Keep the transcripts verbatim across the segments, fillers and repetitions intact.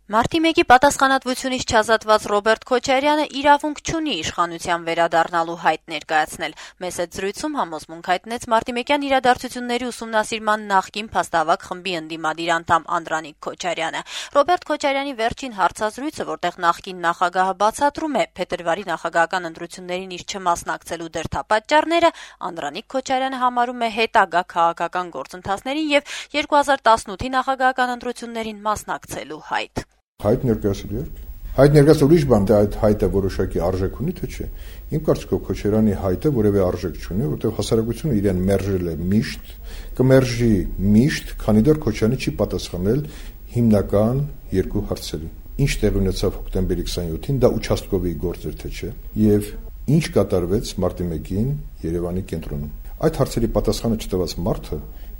Մարտի մեկի պատասխանատվությունից չազատված Ռոբերտ Քոչարյանը իրավունք չունի իշխանության վերադառնալու հայտ ներկայացնել։ Մեծ հետ զրույցում համոզմունք հայտնեց մարտիմեկյան իրադարձությունների ուսումնասիրման նախկին փաստավակ խմբի ընդդիմադիր անդամ Անդրանիկ Քոչարյանը։ Ռոբերտ Քոչարյանի վերջին հարցազրույցը, որտեղ նախկին նախագահը բացատրում է փետրվարի նախագահական ընտրություններին իր չմասնակցելու դրդապատճառները, Անդրանիկ Քոչարյանը համարում է հետագա քաղաքական գործընթացներին եւ երկու հազար տասնութի նախագահական ընտրություններին մասնակցելու հայտ։ Հայտ ներկայացրել եք։ Հայտ ներկայացրել ուրիշ բան, թե այդ հայտը որոշակի արժեք ունի, թե չէ։ Իմ կարծիքով Քոչարյանի հայտը որևէ արժեք չունի, որովհետև հասարակությունը իրեն մերժել է միշտ, կմերժի միշտ, քանի դեռ Քոչարյանը չի պատասխանել հիմնական երկու հարցերին։ Ինչ տեղի ունեցավ հոկտեմբերի քսաներկուսին, դա ուչաստկովի գործ էր, թե չէ, եւ ինչ կատարվեց մարտի մեկին Երևանի կենտրոնում։ Այդ հարցերի պատասխանը չտված մարդը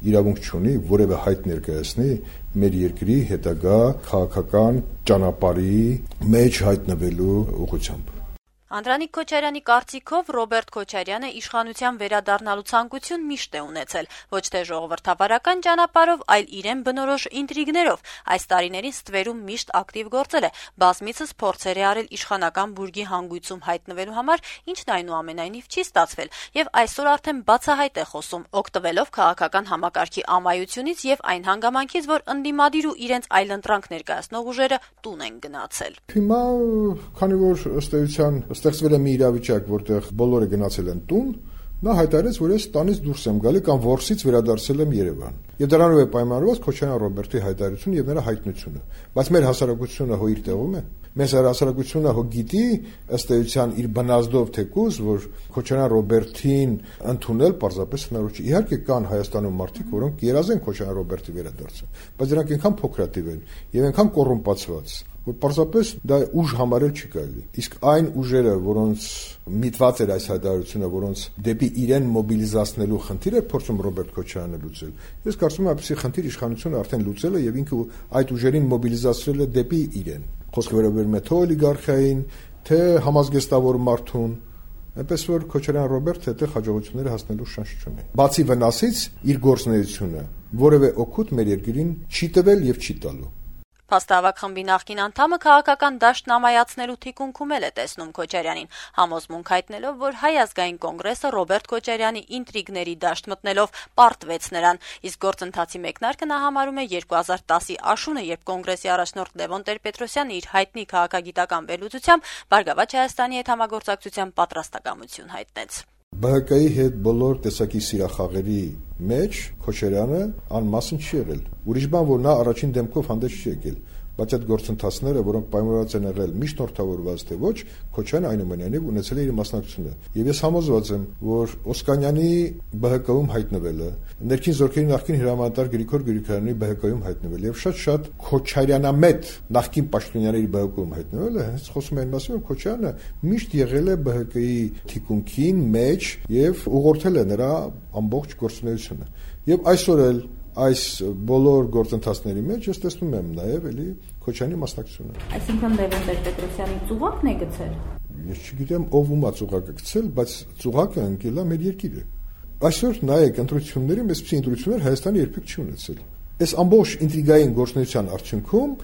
իրավունք չունի որևէ հայտ ներկայացնի մեր երկրի հետագա քաղաքական ճանապարհի մեջ հայտնվելու ուղղությամբ։ Անդրանիկ Քոչարյանի կարծիքով Ռոբերտ Քոչարյանը իշխանության վերադառնալու ցանկություն միշտ է ունեցել, ոչ թե ժողովրդավարական ճանապարհով, այլ իրեն բնորոշ ինտրիգներով։ Այս տարիներին ստվերում միշտ ակտիվ գործել է, բազմիցս փորձեր է արել իշխանական բուրգի հանգույցում հայտնվելու համար, ինչն այնուամենայնիվ չի ստացվել, եւ այսօր արդեն բացահայտ է խոսում, օգտվելով քաղաքական համակարգի ամայությունից եւ այն հանգամանքից, որ ընդդիմադիր ու իրենց այլընտրանք ներկայացնող ուժերը տուն են գնացել։ Հիմա, քանի որ ըստ էության ստեղծվել է մի իրավիճակ, որտեղ բոլորը գնացել են տուն, նա հայտարարեց, որ ես տանից դուրս եմ գալի կամ որսից վերադարձել եմ Երևան։ Եվ դրանով է պայմանավորված Քոչարյան Ռոբերտի հայտարարությունը եւ նրա հայտնությունը։ Բայց մեր հասարակությունը հո իր տեղում է։ Մեր հասարակությունը հո գիտի ըստ էության իր բնազդով թեկուզ, որ Քոչարյան Ռոբերտին ընդունել պարզապես հնարավոր չէ։ Իհարկե կան Հայաստանում մարդիկ, որոնք երազեն Քոչարյան Ռոբերտի վերադարձը, բայց դրանք այնքան փոքրատիվ են եւ այնքան կոռումպացված, որ պարզապես դա ուժ համարել չի կարելի։ Իսկ այն ուժերը, որոնց միտված էր այս հայտարարությունը, որոնց դեպի իրեն մոբիլիզացնելու խնդիր էր փորձում Ռոբերտ Քոչարյանը լուծել, ես կարծում եմ, այսպիսի խնդիր իշխանությունը արդեն լուծել է եւ ինքը այդ ուժերին մոբիլիզացրել է դեպի իրեն։ Խոսքը վերաբերում է թե օլիգարխիային, թե համազգեստավոր մարդուն, այնպես որ Քոչարյան Ռոբերտը այդտեղ հաջողությունները հասնելու շանս չունի։ Բացի վնասից իր գործունեությունը որևէ օգուտ մեր երկրին չի տվել եւ չի տալու։ Փաստավակ խմբի նախկին անդամը քաղաքական դաշտն ամայացնելու թիկունքում էլ է տեսնում Քոչարյանին, համոզմունք հայտնելով, որ Հայ ազգային կոնգրեսը Ռոբերտ Քոչարյանի ինտրիգների դաշտ մտնելով պարտվեց նրան, իսկ գործընթացի մեկնարկը նա համարում է երկու հազար տասի աշունը, երբ կոնգրեսի առաջնորդ Լևոն Տեր-Պետրոսյանը իր հայտնի քաղաքագիտական վերլուծությամբ Բարգավաճ Հայաստանի հետ համագործակցության պատրաստակամություն հայտնեց։ Բ Հ Կ-ի հետ բոլոր տեսակի սիրախաղերի մեջ Քոչարյանը անմասն չի եղել։ Ուրիշ բան, որ նա առաջին դեմքով հանդես չի եկել, բայց այդ գործընթացները, որոնք պայմանավորված են եղել միջնորդավորված թե ոչ, Քոչարյանը այնուամենայնիվ ունեցել է իր մասնակցությունը։ Եվ ես համոզված եմ, որ Օսկանյանի Բ Հ Կ-ում հայտնվելը, ներքին զորքերի նախկին հրամանատար Գրիգոր Գրիգորյանի Բ Հ Կ-ում հայտնվելը եւ շատ-շատ Քոչարյանամետ նախկին պաշտոնյաների Բ Հ Կ-ում հայտնվելը, հենց խոսում են մասին, որ Քոչարյանը միշտ եղել է Բ Հ Կ-ի թիկունքին մեջ եւ ուղղորդել է նրա ամբողջ գործունեությունը։ Եվ այսօր էլ այս բոլոր գործընթացների մեջ ես տեսնում եմ նաև էլի Քոչարյանի մասնակցությունը։ Այսինքն Լևոն Տեր-Պետրոսյանի ծուղակն է գցել։ Ես չգիտեմ ով ումա ծուղակը գցել, բայց ծուղակը ընկել է մեր երկիրը։ Այսօր նայեք ընտրությունների, այսպիսի ընտրություններ Հայաստանը երբեք չի ունեցել։ Այս ամբողջ ինտրիգային գործունեության արդյունքում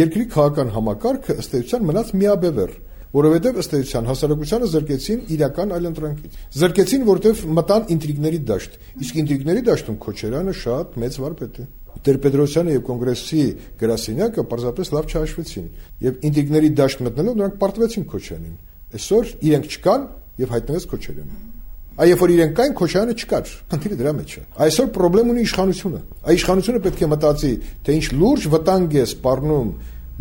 երկրի քաղաքական համակարգը ըստ էության մնաց միաբևեռ, որովհետև ըստ էության հասարակությանը զրկեցին իրական այլընտրանքից։ Զրկեցին, որովհետև մտան ինտրիգների դաշտ։ Իսկ ինտրիգների դաշտում Քոչարյանը շատ մեծ վարպետ է։ Տեր-Պետրոսյանը եւ կոնգրեսի գրասենյակը պարզապես լավ չհաշվեցին եւ ինտրիգների դաշտ մտնելով նրանք պարտվեցին Քոչարյանին։ Այսօր իրենք չկան եւ հայտնվեց Քոչարյանը։ Այ երբ որ իրենք կային, Քոչարյանը չկար։ Խնդիրը դրա մեջ է։ Այսօր խնդրեմ ունի իշխանությունը։ Այ իշխանությունը պետք է մտածի, թե ինչ լուրջ վտանգ է սպառնում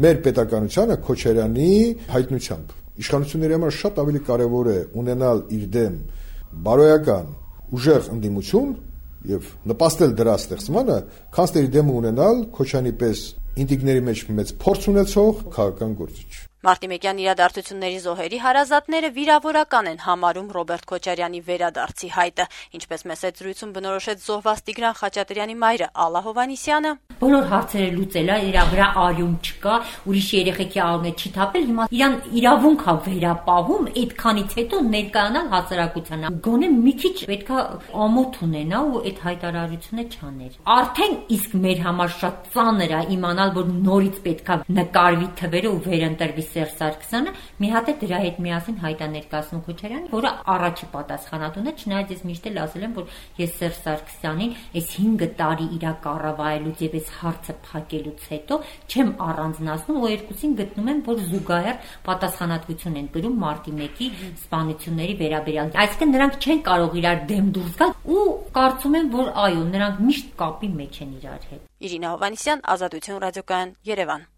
մեր պետականությանը Քոչարյանի հայտնությամբ։ Իշխանությունների համար շատ ավելի կարևոր է ունենալ իր դեմ բարոյական ուժեղ ընդդիմություն եւ նպաստել դրա ստեղծմանը, քան դերի դեմ ունենալ Քոչարյանի պես ինտրիգների մեջ մեծ փորձ ունեցող քաղաքական գործիչ։ Մարտիմեկյան իրադարձությունների զոհերի հարազատները վիրավորական են համարում Ռոբերտ Քոչարյանի վերադարձի հայտը, ինչպես մեծ զրույցում բնորոշեց զոհված Տիգրան Խաչատրյանի մայրը Ալլա Հովհաննիսյանը։ Բոլոր հարցերը լուծել է, իր վրա արյուն չկա, ուրիշ երեխեքի արյունը չի թափել, հիմա իրան իրավունք է վերապահում, այդքանից հետո ներկայանալ հասարակությանը։ Գոնե մի քիչ պետքա ամոթ ունենա ու այդ հայտարարությունը չաներ։ Արդեն իսկ մեր համար շատ ծանր է իմանալ, որ նորից պետքա նկարվի թվերը ու վերընտրվի Սերժ Սարգսյանը, մի հատ է դրա հետ միասին հայտա ներկայացնում Քոչարյանին, որը առաջի պատասխանատուն է, չնայած ես միշտ էլ ասել եմ, որ ես Սերժ Սարգսյանին այս հինգ տարի իր կառավարելուց եւ այս հարցը փակելուց հետո չեմ առանձնացնում ու երկուսին գտնում եմ, որ զուգահեռ պատասխանատվություն են կրում մարտի մեկի սպանությունների վերաբերյալ։ Այսինքն նրանք չեն կարող իրար դեմ դուրս գալ ու կարծում եմ, որ այո, նրանք միշտ կապի մեջ են իրար հետ։ Իրինա Հովհաննիսյան, Ազատություն ռադիոկայան, Երևան։